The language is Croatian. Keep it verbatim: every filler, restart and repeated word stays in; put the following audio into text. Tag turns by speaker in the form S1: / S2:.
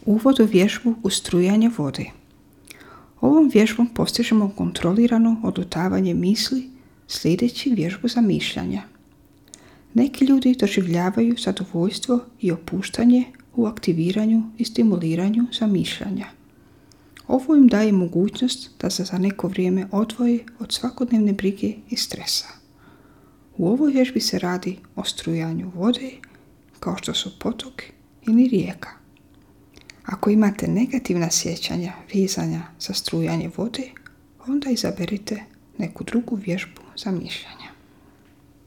S1: Uvod u vježbu ustrujanja vode. Ovom vježbom postižemo kontrolirano odlutavanje misli sljedeći vježbu zamišljanja. Neki ljudi doživljavaju zadovoljstvo i opuštanje u aktiviranju i stimuliranju zamišljanja. Ovo im daje mogućnost da se za neko vrijeme odvoje od svakodnevne brige i stresa. U ovoj vježbi se radi o strujanju vode, kao što su potok ili rijeka. Ako imate negativna sjećanja vezanja za strujanje vode, onda izaberite neku drugu vježbu zamišljanja.